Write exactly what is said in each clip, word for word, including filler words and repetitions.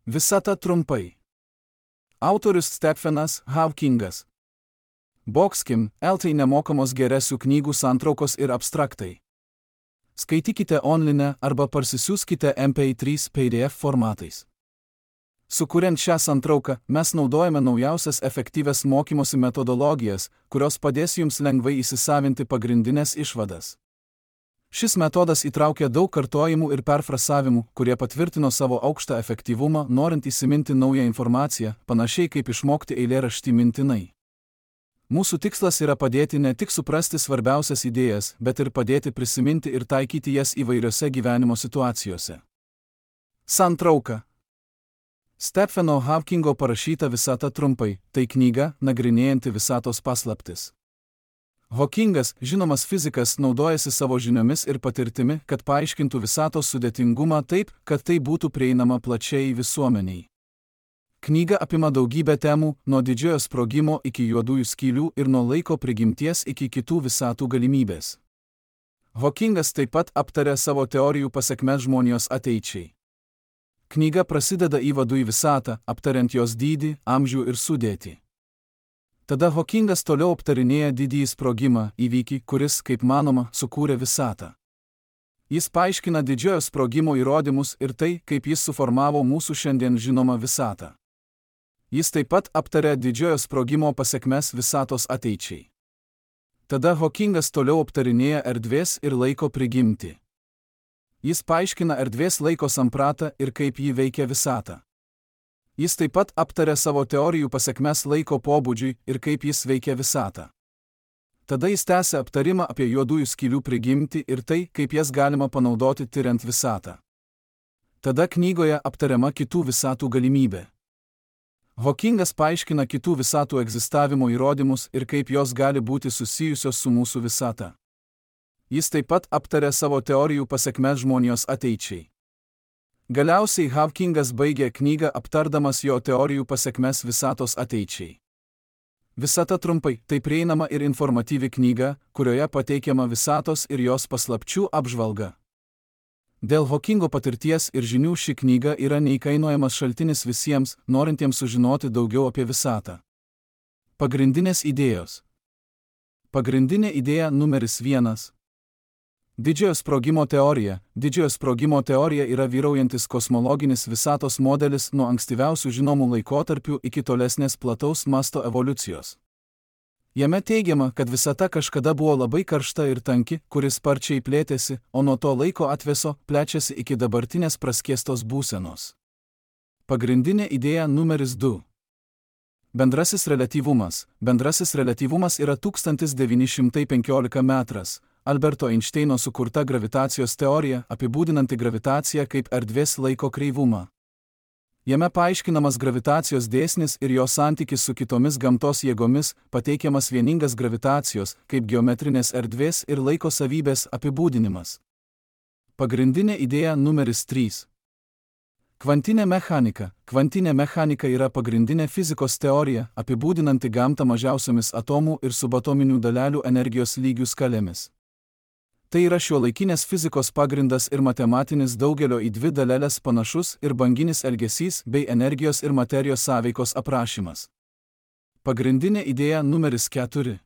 Visata trumpai. Autorius Stephenas Hawkingas. Boxkim, L T nemokamos geresių knygų santraukos ir abstraktai. Skaitykite online arba parsisiųskite M P trys P D F formatais. Sukuriant šią santrauką, mes naudojame naujausias efektyvias mokymosi metodologijas, kurios padės jums lengvai įsisavinti pagrindinės išvadas. Šis metodas įtraukia daug kartojimų ir perfrasavimų, kurie patvirtino savo aukštą efektyvumą, norint įsiminti naują informaciją, panašiai kaip išmokti eilėraštį mintinai. Mūsų tikslas yra padėti ne tik suprasti svarbiausias idėjas, bet ir padėti prisiminti ir taikyti jas įvairiose gyvenimo situacijose. Santrauka. Stepheno Hawkingo parašyta Visata trumpai, tai knyga, nagrinėjanti visatos paslaptis. Hawkingas, žinomas fizikas, naudojasi savo žiniomis ir patirtimi, kad paaiškintų visatos sudėtingumą taip, kad tai būtų prieinama plačiai visuomeniai. Knyga apima daugybę temų, nuo didžiojo sprogimo iki juodųjų skylių ir nuo laiko prigimties iki kitų visatų galimybės. Hawkingas taip pat aptarė savo teorijų pasekmes žmonijos ateičiai. Knyga prasideda įvadu į visatą, aptariant jos dydį, amžių ir sudėtį. Tada Hawkingas toliau aptarinėja didįjį sprogimą, įvykį, kuris, kaip manoma, sukūrė visatą. Jis paaiškina didžiojo sprogimo įrodymus ir tai, kaip jis suformavo mūsų šiandien žinomą visatą. Jis taip pat aptarė didžiojo sprogimo pasekmes visatos ateičiai. Tada Hawkingas toliau aptarinėja erdvės ir laiko prigimtį. Jis paaiškina erdvės laiko sampratą ir kaip jį veikia visata. Jis taip pat aptarė savo teorijų pasekmes laiko pobūdžiui ir kaip jis veikia visatą. Tada jis tęsia aptarimą apie juodųjų skylių prigimtį ir tai, kaip jas galima panaudoti tiriant visatą. Tada knygoje aptariama kitų visatų galimybė. Hawkingas paaiškina kitų visatų egzistavimo įrodymus ir kaip jos gali būti susijusios su mūsų visata. Jis taip pat aptarė savo teorijų pasekmes žmonijos ateičiai. Galiausiai Hawkingas baigė knygą aptardamas jo teorijų pasekmes visatos ateičiai. Visata trumpai, tai prieinama ir informatyvi knyga, kurioje pateikiama visatos ir jos paslapčių apžvalga. Dėl Hawkingo patirties ir žinių ši knyga yra neįkainojamas šaltinis visiems, norintiems sužinoti daugiau apie visatą. Pagrindinės idėjos. Pagrindinė idėja numeris vienas. Didžiojo sprogimo teorija. Didžiojo sprogimo teorija yra vyraujantis kosmologinis visatos modelis nuo ankstyviausių žinomų laikotarpių iki tolesnės plataus masto evoliucijos. Jame teigiama, kad visata kažkada buvo labai karšta ir tanki, kuris sparčiai plėtėsi, o nuo to laiko atvėso, plečiasi iki dabartinės praskiestos būsenos. Pagrindinė idėja numeris du. Bendrasis reliatyvumas. Bendrasis reliatyvumas yra tūkstantis devyni šimtai penkioliktas metras. Alberto Einšteino sukurta gravitacijos teorija, apibūdinanti gravitaciją kaip erdvės laiko kreivumą. Jame paaiškinamas gravitacijos dėsnis ir jo santykis su kitomis gamtos jėgomis, pateikiamas vieningas gravitacijos, kaip geometrinės erdvės ir laiko savybės apibūdinimas. Pagrindinė idėja numeris trys. Kvantinė mechanika. Kvantinė mechanika yra pagrindinė fizikos teorija, apibūdinanti gamtą mažiausiomis atomų ir subatominių dalelių energijos lygių skalėmis. Tai yra šiuolaikinės fizikos pagrindas ir matematinis daugelio į dvi daleles panašus ir banginis elgesys bei energijos ir materijos sąveikos aprašymas. Pagrindinė idėja numeris keturi.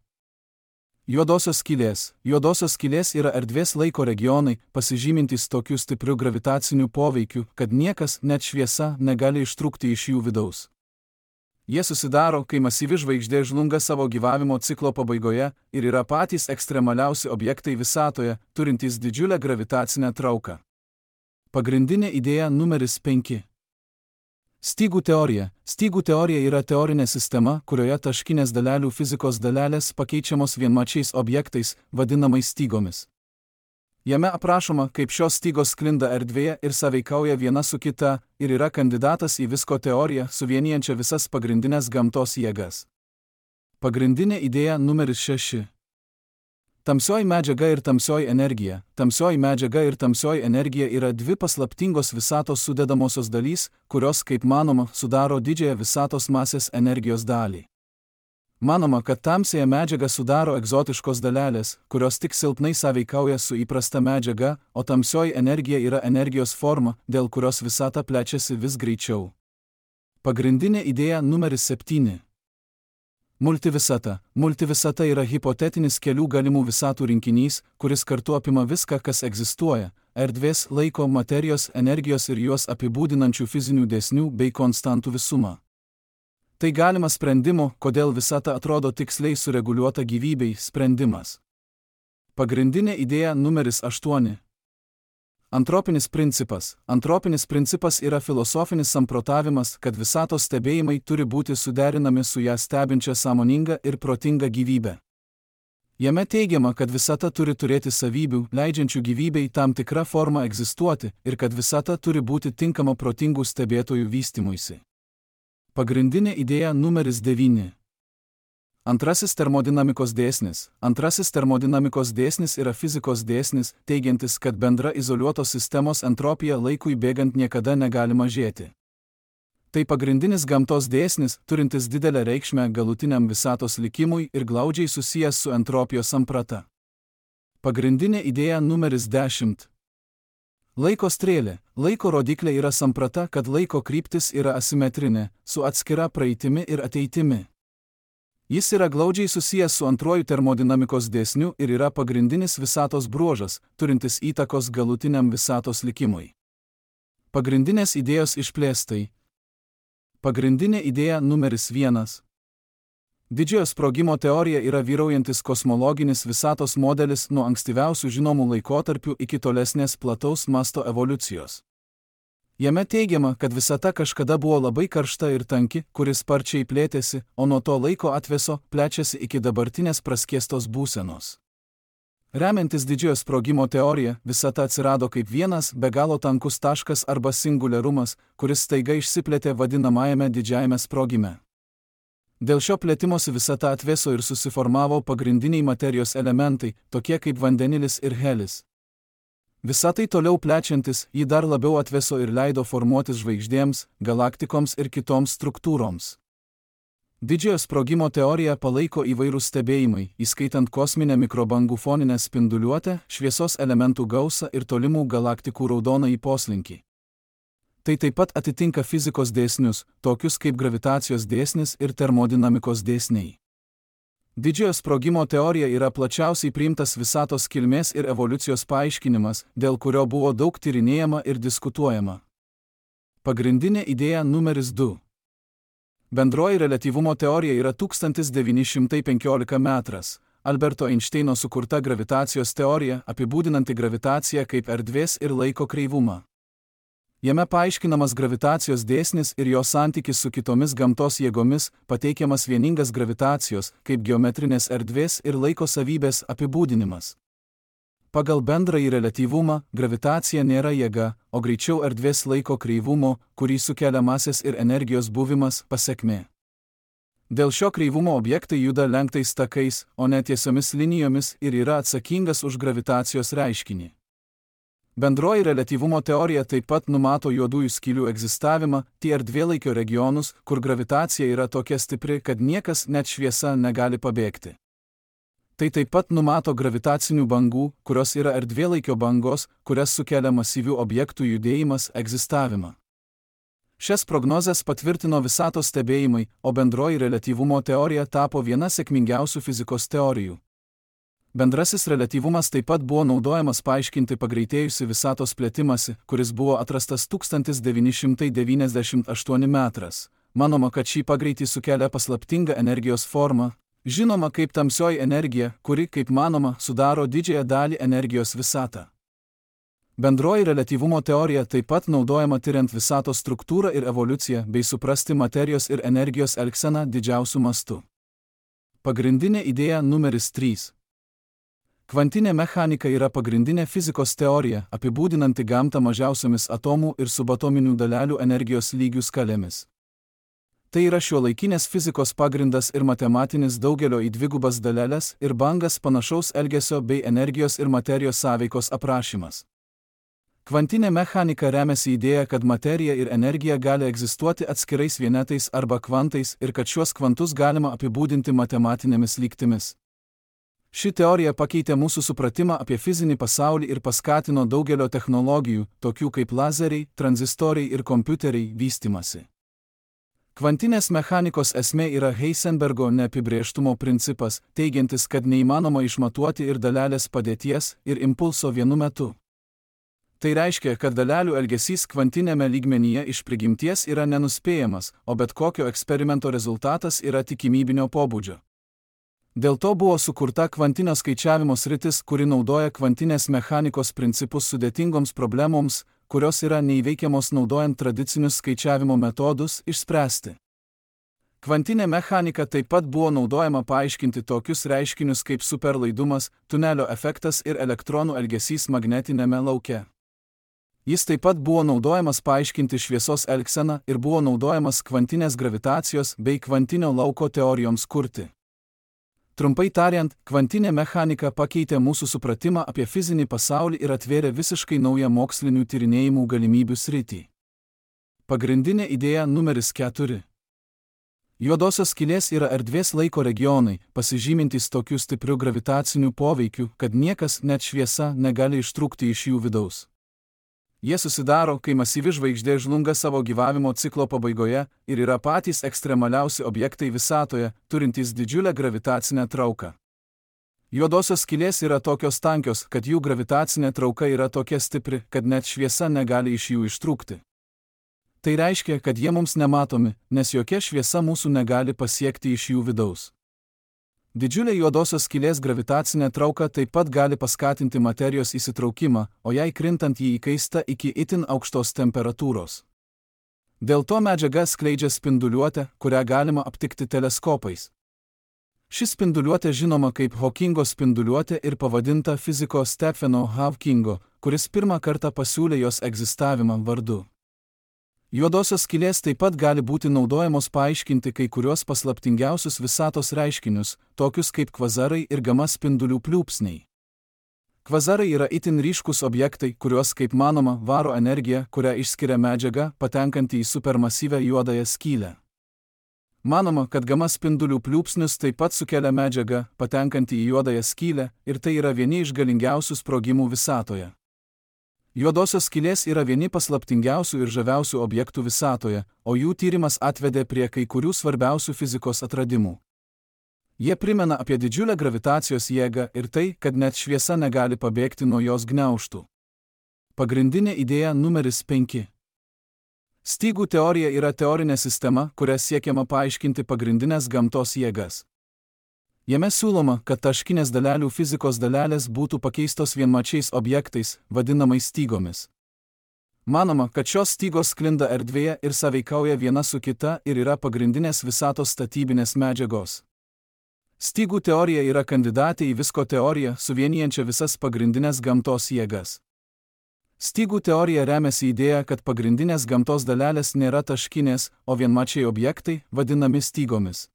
Juodosios skylės. Juodosios skylės yra erdvės laiko regionai, pasižymintys tokiu stipriu gravitaciniu poveikiu, kad niekas, net šviesa, negali ištrūkti iš jų vidaus. Jie susidaro, kai masyvi žvaigždė žlunga savo gyvavimo ciklo pabaigoje ir yra patys ekstremaliausi objektai visatoje, turintys didžiulę gravitacinę trauką. Pagrindinė idėja numeris penki. Stygų teorija. Stygų teorija yra teorinė sistema, kurioje taškinės dalelių fizikos dalelės pakeičiamos vienmačiais objektais, vadinamais stygomis. Jame aprašoma, kaip šios stygos sklinda erdvėje ir sąveikauja viena su kita, ir yra kandidatas į visko teoriją, suvienijančią visas pagrindinės gamtos jėgas. Pagrindinė idėja numeris šeši. Tamsioji medžiaga ir tamsioji energija. Tamsioji medžiaga ir tamsioji energija yra dvi paslaptingos visatos sudedamosios dalys, kurios, kaip manoma, sudaro didžiąją visatos masės energijos dalį. Manoma, kad tamsiąją medžiagą sudaro egzotiškos dalelės, kurios tik silpnai sąveikauja su įprasta medžiaga, o tamsioji energija yra energijos forma, dėl kurios visata plečiasi vis greičiau. Pagrindinė idėja numeris septyni. Multivisata. Multivisata yra hipotetinis kelių galimų visatų rinkinys, kuris kartu apima viską, kas egzistuoja – erdvės, laiko, materijos, energijos ir juos apibūdinančių fizinių dėsnių bei konstantų visumą. Tai galimas sprendimo, kodėl visata atrodo tiksliai sureguliuota gyvybei, sprendimas. Pagrindinė idėja numeris aštuoni. Antropinis principas. Antropinis principas yra filosofinis samprotavimas, kad visatos stebėjimai turi būti suderinami su ją stebinčia sąmoninga ir protinga gyvybe. Jame teigiama, kad visata turi turėti savybių, leidžiančių gyvybei tam tikrą formą egzistuoti, ir kad visata turi būti tinkama protingų stebėtojų vystymuisi. Pagrindinė idėja numeris devyni. Antrasis termodinamikos dėsnis. Antrasis termodinamikos dėsnis yra fizikos dėsnis, teigiantis, kad bendra izoliuotos sistemos entropija laikui bėgant niekada negali mažėti. Tai pagrindinis gamtos dėsnis, turintis didelę reikšmę galutiniam visatos likimui ir glaudžiai susijęs su entropijos samprata. Pagrindinė idėja numeris dešimt. Laiko strėlė. Laiko rodiklė yra samprata, kad laiko kryptis yra asimetrinė, su atskira praeitimi ir ateitimi. Jis yra glaudžiai susijęs su antruoju termodinamikos dėsniu ir yra pagrindinis visatos bruožas, turintis įtakos galutiniam visatos likimui. Pagrindinės idėjos išplėstai. Pagrindinė idėja numeris vienas. Didžiojo sprogimo teorija yra vyraujantis kosmologinis visatos modelis nuo ankstyviausių žinomų laikotarpių iki tolesnės plataus masto evoliucijos. Jame teigiama, kad visata kažkada buvo labai karšta ir tanki, kuris sparčiai plėtėsi, o nuo to laiko atveso plečiasi iki dabartinės praskiestos būsenos. Remiantis didžiojo sprogimo teorija, visata atsirado kaip vienas be galo tankus taškas arba singuliarumas, kuris staiga išsiplėtė vadinamajame didžiajame sprogime. Dėl šio plėtimosi visata atveso ir susiformavo pagrindiniai materijos elementai, tokie kaip vandenilis ir helis. Visatai toliau plečiantis, jį dar labiau atveso ir leido formuotis žvaigždėms, galaktikoms ir kitoms struktūroms. Didžiojo sprogimo teoriją palaiko įvairūs stebėjimai, įskaitant kosminę mikrobangų foninę spinduliuotę, šviesos elementų gausą ir tolimų galaktikų raudonąjį poslinkį. Tai taip pat atitinka fizikos dėsnius, tokius kaip gravitacijos dėsnis ir termodinamikos dėsniai. Didžiojo sprogimo teorija yra plačiausiai priimtas visatos kilmės ir evoliucijos paaiškinimas, dėl kurio buvo daug tyrinėjama ir diskutuojama. Pagrindinė idėja numeris du. Bendroji reliatyvumo teorija yra tūkstantis devyni šimtai penkioliktas metras, Alberto Einšteino sukurta gravitacijos teorija, apibūdinanti gravitaciją kaip erdvės ir laiko kreivumą. Jame paaiškinamas gravitacijos dėsnis ir jo santykis su kitomis gamtos jėgomis, pateikiamas vieningas gravitacijos, kaip geometrinės erdvės ir laiko savybės apibūdinimas. Pagal bendrąjį reliatyvumą, gravitacija nėra jėga, o greičiau erdvės laiko kreivumo, kurį sukelia masės ir energijos buvimas, pasekmė. Dėl šio kreivumo objektai juda lenktais takais, o ne tiesiomis linijomis ir yra atsakingas už gravitacijos reiškinį. Bendroji reliatyvumo teorija taip pat numato juodųjų skylių egzistavimą, tie erdvėlaikio regionus, kur gravitacija yra tokia stipri, kad niekas, net šviesa, negali pabėgti. Tai taip pat numato gravitacinių bangų, kurios yra erdvėlaikio bangos, kurias sukelia masyvių objektų judėjimas, egzistavimą. Šias prognozes patvirtino visatos stebėjimai, o bendroji reliatyvumo teorija tapo viena sėkmingiausių fizikos teorijų. Bendrasis reliatyvumas taip pat buvo naudojamas paaiškinti pagreitėjusi visatos plėtimąsi, kuris buvo atrastas tūkstantis devyni šimtai devyniasdešimt aštuntas metras. Manoma, kad šį pagreitį sukelia paslaptinga energijos forma, žinoma kaip tamsioji energija, kuri, kaip manoma, sudaro didžiąją dalį energijos visatą. Bendroji reliatyvumo teorija taip pat naudojama tyriant visatos struktūrą ir evoliuciją bei suprasti materijos ir energijos elgseną didžiausiu mastu. Pagrindinė idėja numeris trys. Kvantinė mechanika yra pagrindinė fizikos teorija, apibūdinanti gamtą mažiausiomis atomų ir subatominių dalelių energijos lygių skalėmis. Tai yra šiuolaikinės fizikos pagrindas ir matematinis daugelio į dvigubas daleles ir bangas panašaus elgesio bei energijos ir materijos sąveikos aprašymas. Kvantinė mechanika remiasi idėja, kad materija ir energija gali egzistuoti atskirais vienetais arba kvantais ir kad šiuos kvantus galima apibūdinti matematinėmis lygtimis. Ši teorija pakeitė mūsų supratimą apie fizinį pasaulį ir paskatino daugelio technologijų, tokių kaip lazeriai, tranzistoriai ir kompiuteriai, vystymasi. Kvantinės mechanikos esmė yra Heisenbergo neapibrėžtumo principas, teigiantis, kad neįmanoma išmatuoti ir dalelės padėties, ir impulso vienu metu. Tai reiškia, kad dalelių elgesys kvantinėme lygmenyje iš prigimties yra nenuspėjamas, o bet kokio eksperimento rezultatas yra tikimybinio pobūdžio. Dėl to buvo sukurta kvantinio skaičiavimo sritis, kuri naudoja kvantinės mechanikos principus sudėtingoms problemoms, kurios yra neįveikiamos naudojant tradicinius skaičiavimo metodus, išspręsti. Kvantinė mechanika taip pat buvo naudojama paaiškinti tokius reiškinius kaip superlaidumas, tunelio efektas ir elektronų elgesys magnetinėme lauke. Jis taip pat buvo naudojamas paaiškinti šviesos elgseną ir buvo naudojamas kvantinės gravitacijos bei kvantinio lauko teorijoms kurti. Trumpai tariant, kvantinė mechanika pakeitė mūsų supratimą apie fizinį pasaulį ir atvėrė visiškai naują mokslinių tyrinėjimų galimybių sritį. Pagrindinė idėja numeris keturi. Juodosios skylės yra erdvės laiko regionai, pasižymintys tokiu stipriu gravitaciniu poveikiu, kad niekas, net šviesa, negali ištrūkti iš jų vidaus. Jie susidaro, kai masyvi žvaigždė žlunga savo gyvavimo ciklo pabaigoje ir yra patys ekstremaliausi objektai visatoje, turintys didžiulę gravitacinę trauką. Juodosios skylės yra tokios tankios, kad jų gravitacinė trauka yra tokia stipri, kad net šviesa negali iš jų ištrūkti. Tai reiškia, kad jie mums nematomi, nes jokia šviesa mūsų negali pasiekti iš jų vidaus. Didžiulė juodosios skylės gravitacinė trauka taip pat gali paskatinti materijos įsitraukimą, o jai krintant jį įkaista iki itin aukštos temperatūros. Dėl to medžiaga skleidžia spinduliuotę, kurią galima aptikti teleskopais. Ši spinduliuotė žinoma kaip Hawkingo spinduliuotė ir pavadinta fiziko Stepheno Hawkingo, kuris pirmą kartą pasiūlė jos egzistavimą vardu. Juodosios skylės taip pat gali būti naudojamos paaiškinti kai kurios paslaptingiausius visatos reiškinius, tokius kaip kvazarai ir gama spindulių pliūpsniai. Kvazarai yra itin ryškus objektai, kuriuos, kaip manoma, varo energija, kurią išskiria medžiaga, patenkanti į supermasyvę juodąją skylę. Manoma, kad gama spindulių pliūpsnius taip pat sukelia medžiaga, patenkanti į juodąją skylę, ir tai yra vieni iš galingiausių sprogimų visatoje. Juodosios skylės yra vieni paslaptingiausių ir žaviausių objektų visatoje, o jų tyrimas atvedė prie kai kurių svarbiausių fizikos atradimų. Jie primena apie didžiulę gravitacijos jėgą ir tai, kad net šviesa negali pabėgti nuo jos gniaužtų. Pagrindinė idėja numeris penki. Stygų teorija yra teorinė sistema, kuria siekiama paaiškinti pagrindinės gamtos jėgas. Jame siūloma, kad taškinės dalelių fizikos dalelės būtų pakeistos vienmačiais objektais, vadinamais stygomis. Manoma, kad šios stygos sklinda erdvėje ir sąveikauja viena su kita ir yra pagrindinės visatos statybinės medžiagos. Stygų teorija yra kandidatė į visko teoriją, suvienijančią visas pagrindinės gamtos jėgas. Stygų teorija remiasi idėja, kad pagrindinės gamtos dalelės nėra taškinės, o vienmačiai objektai, vadinami stygomis.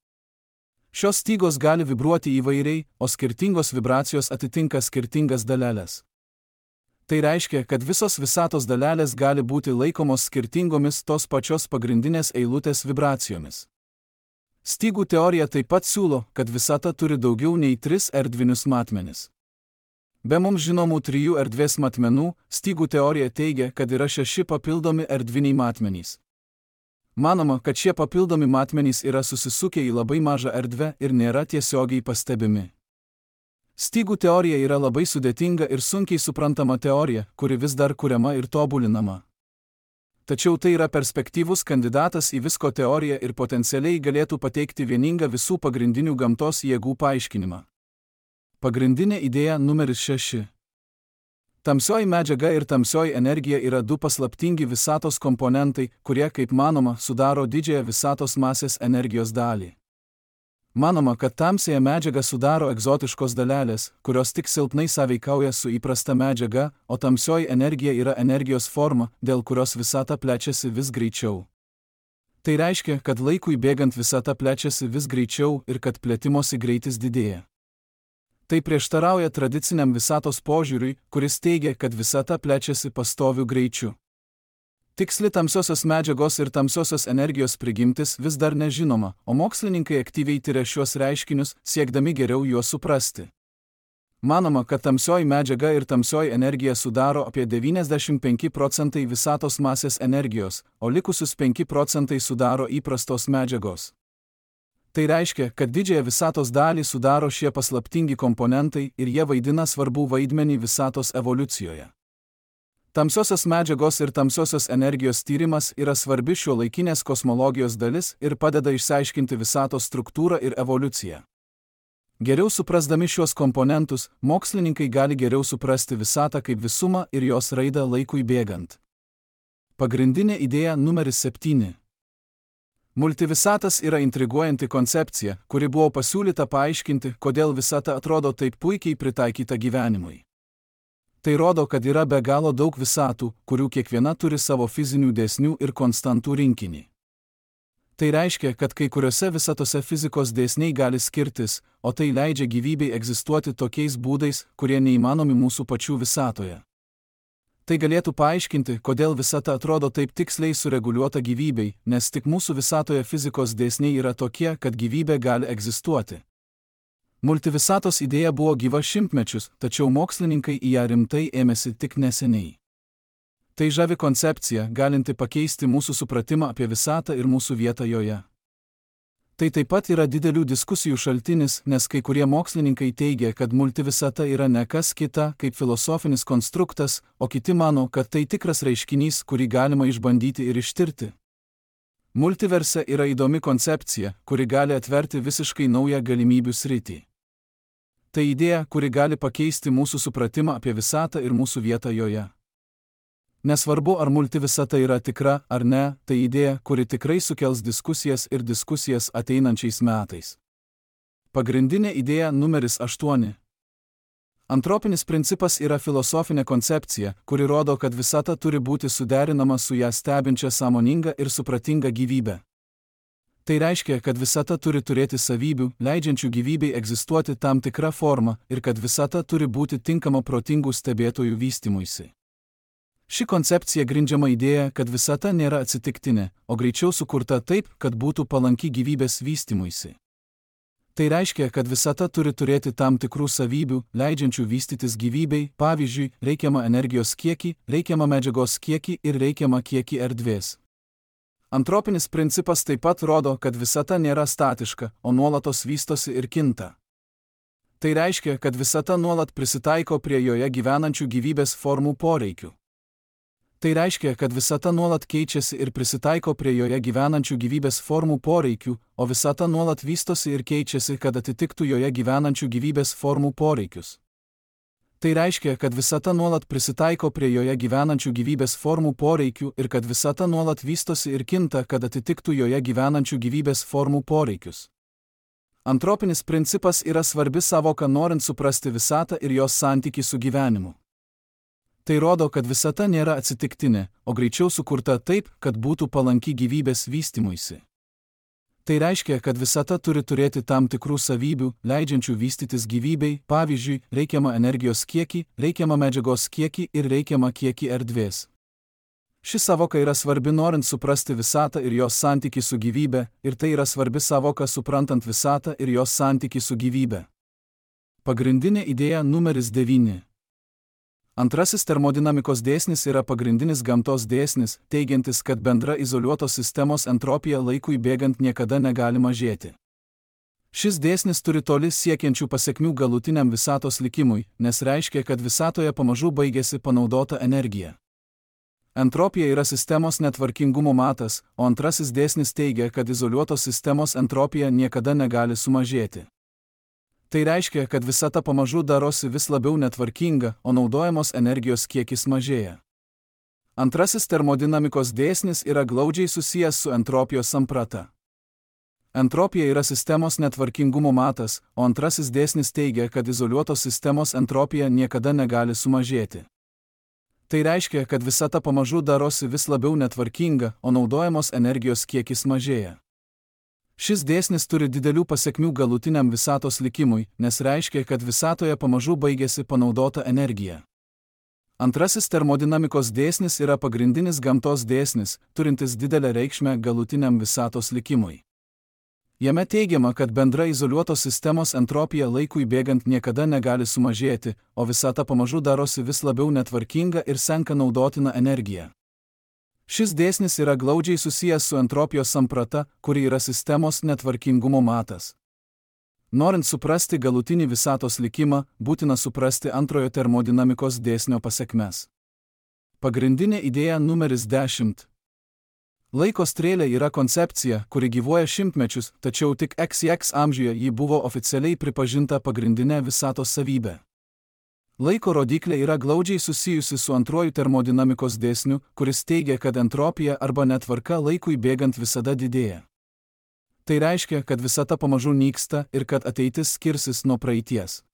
Šios stygos gali vibruoti įvairiai, o skirtingos vibracijos atitinka skirtingas dalelės. Tai reiškia, kad visos visatos dalelės gali būti laikomos skirtingomis tos pačios pagrindinės eilutės vibracijomis. Stygų teorija taip pat siūlo, kad visata turi daugiau nei tris erdvinius matmenis. Be mums žinomų trijų erdvės matmenų, stygų teorija teigia, kad yra šeši papildomi erdviniai matmenys. Manoma, kad šie papildomi matmenys yra susisukę į labai mažą erdvę ir nėra tiesiogiai pastebimi. Stygų teorija yra labai sudėtinga ir sunkiai suprantama teorija, kuri vis dar kuriama ir tobulinama. Tačiau tai yra perspektyvus kandidatas į visko teoriją ir potencialiai galėtų pateikti vieningą visų pagrindinių gamtos jėgų paaiškinimą. Pagrindinė idėja numeris šeši. Tamsioji medžiaga ir tamsioji energija yra du paslaptingi visatos komponentai, kurie, kaip manoma, sudaro didžiąją visatos masės energijos dalį. Manoma, kad tamsiąją medžiagą sudaro egzotiškos dalelės, kurios tik silpnai sąveikauja su įprasta medžiaga, o tamsioji energija yra energijos forma, dėl kurios visata plečiasi vis greičiau. Tai reiškia, kad laikui bėgant visata plečiasi vis greičiau ir kad plėtimosi greitis didėja. Tai prieštarauja tradiciniam visatos požiūriui, kuris teigia, kad visata plečiasi pastoviu greičiu. Tiksli tamsiosios medžiagos ir tamsiosios energijos prigimtis vis dar nežinoma, o mokslininkai aktyviai tiria šiuos reiškinius, siekdami geriau juos suprasti. Manoma, kad tamsioji medžiaga ir tamsioji energija sudaro apie devyniasdešimt penki procentai visatos masės energijos, o likusius penki procentai sudaro įprastos medžiagos. Tai reiškia, kad didžiąją visatos dalį sudaro šie paslaptingi komponentai ir jie vaidina svarbų vaidmenį visatos evoliucijoje. Tamsiosios medžiagos ir tamsiosios energijos tyrimas yra svarbi šiuolaikinės kosmologijos dalis ir padeda išsiaiškinti visatos struktūrą ir evoliuciją. Geriau suprasdami šiuos komponentus, mokslininkai gali geriau suprasti visatą kaip visumą ir jos raidą laikui bėgant. Pagrindinė idėja numeris septyni. Multivisatas yra intriguojanti koncepcija, kuri buvo pasiūlyta paaiškinti, kodėl visata atrodo taip puikiai pritaikyta gyvenimui. Tai rodo, kad yra be galo daug visatų, kurių kiekviena turi savo fizinių dėsnių ir konstantų rinkinį. Tai reiškia, kad kai kuriuose visatose fizikos dėsniai gali skirtis, o tai leidžia gyvybei egzistuoti tokiais būdais, kurie neįmanomi mūsų pačių visatoje. Tai galėtų paaiškinti, kodėl visata atrodo taip tiksliai sureguliuota gyvybei, nes tik mūsų visatoje fizikos dėsniai yra tokie, kad gyvybė gali egzistuoti. Multivisatos idėja buvo gyva šimtmečius, tačiau mokslininkai į ją rimtai ėmėsi tik neseniai. Tai žavi koncepcija, galinti pakeisti mūsų supratimą apie visatą ir mūsų vietą joje. Tai taip pat yra didelių diskusijų šaltinis, nes kai kurie mokslininkai teigia, kad multivisata yra ne kas kita kaip filosofinis konstruktas, o kiti mano, kad tai tikras reiškinys, kurį galima išbandyti ir ištirti. Multiverse yra įdomi koncepcija, kuri gali atverti visiškai naują galimybių sritį. Tai idėja, kuri gali pakeisti mūsų supratimą apie visatą ir mūsų vietą joje. Nesvarbu, ar multivisata yra tikra ar ne, tai idėja, kuri tikrai sukels diskusijas ir diskusijas ateinančiais metais. Pagrindinė idėja numeris aštuoni. Antropinis principas yra filosofinė koncepcija, kuri rodo, kad visata turi būti suderinama su ją stebinčia sąmoninga ir supratinga gyvybe. Tai reiškia, kad visata turi turėti savybių, leidžiančių gyvybei egzistuoti tam tikrą formą, ir kad visata turi būti tinkama protingų stebėtojų vystymuisi. Ši koncepcija grindžiama idėja, kad visata nėra atsitiktinė, o greičiau sukurta taip, kad būtų palanki gyvybės vystymuisi. Tai reiškia, kad visata turi turėti tam tikrų savybių, leidžiančių vystytis gyvybei, pavyzdžiui, reikiamą energijos kiekį, reikiamą medžiagos kiekį ir reikiamą kiekį erdvės. Antropinis principas taip pat rodo, kad visata nėra statiška, o nuolatos vystosi ir kinta. Tai reiškia, kad visata nuolat prisitaiko prie joje gyvenančių gyvybės formų poreikių. Tai reiškia, kad visata nuolat keičiasi ir prisitaiko prie joje gyvenančių gyvybės formų poreikių, o visata nuolat vystosi ir keičiasi, kad atitiktų joje gyvenančių gyvybės formų poreikius. Tai reiškia, kad visata nuolat prisitaiko prie joje gyvenančių gyvybės formų poreikių ir kad visata nuolat vystosi ir kinta, kad atitiktų joje gyvenančių gyvybės formų poreikius. Antropinis principas yra svarbi savoka norint suprasti visatą ir jos santykį su gyvenimu. Tai rodo, kad visata nėra atsitiktinė, o greičiau sukurta taip, kad būtų palanki gyvybės vystymuisi. Tai reiškia, kad visata turi turėti tam tikrų savybių, leidžiančių vystytis gyvybei, pavyzdžiui, reikiamą energijos kiekį, reikiamą medžiagos kiekį ir reikiamą kiekį erdvės. Ši savoka yra svarbi norint suprasti visatą ir jos santykį su gyvybe, ir tai yra svarbi savoka suprantant visatą ir jos santykį su gyvybe. Pagrindinė idėja numeris devyni. Antrasis termodinamikos dėsnis yra pagrindinis gamtos dėsnis, teigiantis, kad bendra izoliuotos sistemos entropija laikui bėgant niekada negali mažėti. Šis dėsnis turi toli siekiančių pasekmių galutiniam visatos likimui, nes reiškia, kad visatoje pamažu baigėsi panaudota energija. Entropija yra sistemos netvarkingumo matas, o antrasis dėsnis teigia, kad izoliuotos sistemos entropija niekada negali sumažėti. Tai reiškia, kad visata pamažu darosi vis labiau netvarkinga, o naudojamos energijos kiekis mažėja. Antrasis termodinamikos dėsnis yra glaudžiai susijęs su entropijos samprata. Entropija yra sistemos netvarkingumo matas, o antrasis dėsnis teigia, kad izoliuotos sistemos entropija niekada negali sumažėti. Tai reiškia, kad visata pamažu darosi vis labiau netvarkinga, o naudojamos energijos kiekis mažėja. Šis dėsnis turi didelių pasekmių galutiniam visatos likimui, nes reiškia, kad visatoje pamažu baigėsi panaudota energija. Antrasis termodinamikos dėsnis yra pagrindinis gamtos dėsnis, turintis didelę reikšmę galutiniam visatos likimui. Jame teigiama, kad bendra izoliuotos sistemos entropija laikui bėgant niekada negali sumažėti, o visata pamažu darosi vis labiau netvarkinga ir senka naudotina energija. Šis dėsnis yra glaudžiai susijęs su entropijos samprata, kuri yra sistemos netvarkingumo matas. Norint suprasti galutinį visatos likimą, būtina suprasti antrojo termodinamikos dėsnio pasekmes. Pagrindinė idėja numeris dešimt. Laiko strėlė yra koncepcija, kuri gyvuoja šimtmečius, tačiau tik X X amžiuje ji buvo oficialiai pripažinta pagrindinė visatos savybė. Laiko rodiklė yra glaudžiai susijusi su antruoju termodinamikos dėsniu, kuris teigia, kad entropija arba netvarka laikui bėgant visada didėja. Tai reiškia, kad visata pamažu nyksta ir kad ateitis skirsis nuo praeities.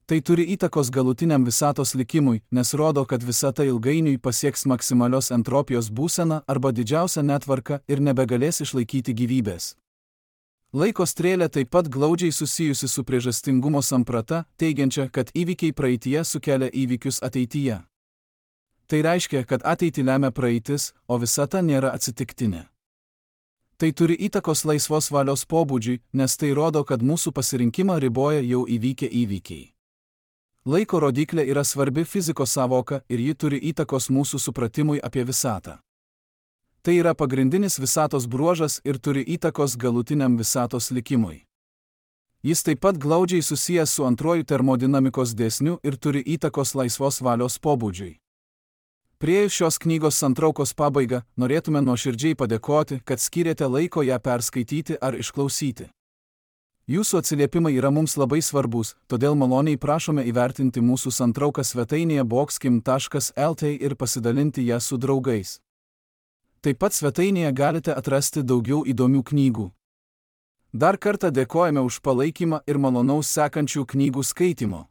Tai turi įtakos galutiniam visatos likimui, nes rodo, kad visata ilgainiui pasieks maksimalios entropijos būseną arba didžiausią netvarką ir nebegalės išlaikyti gyvybės. Laiko strėlė taip pat glaudžiai susijusi su priežastingumo samprata, teigiančia, kad įvykiai praeityje sukelia įvykius ateityje. Tai reiškia, kad ateitį lemia praeitis, o visata nėra atsitiktinė. Tai turi įtakos laisvos valios pobūdžiui, nes tai rodo, kad mūsų pasirinkimą riboja jau įvykę įvykiai. Laiko rodiklė yra svarbi fizikos sąvoka ir ji turi įtakos mūsų supratimui apie visatą. Tai yra pagrindinis visatos bruožas ir turi įtakos galutiniam visatos likimui. Jis taip pat glaudžiai susijęs su antruoju termodinamikos dėsniu ir turi įtakos laisvos valios pobūdžiui. Priėjus šios knygos santraukos pabaigą, norėtume nuoširdžiai padėkoti, kad skyrėte laiko ją perskaityti ar išklausyti. Jūsų atsiliepimai yra mums labai svarbus, todėl maloniai prašome įvertinti mūsų santrauką svetainėje boxkim taškas el t ir pasidalinti ją su draugais. Taip pat svetainėje galite atrasti daugiau įdomių knygų. Dar kartą dėkojame už palaikymą ir malonaus sekančių knygų skaitimo.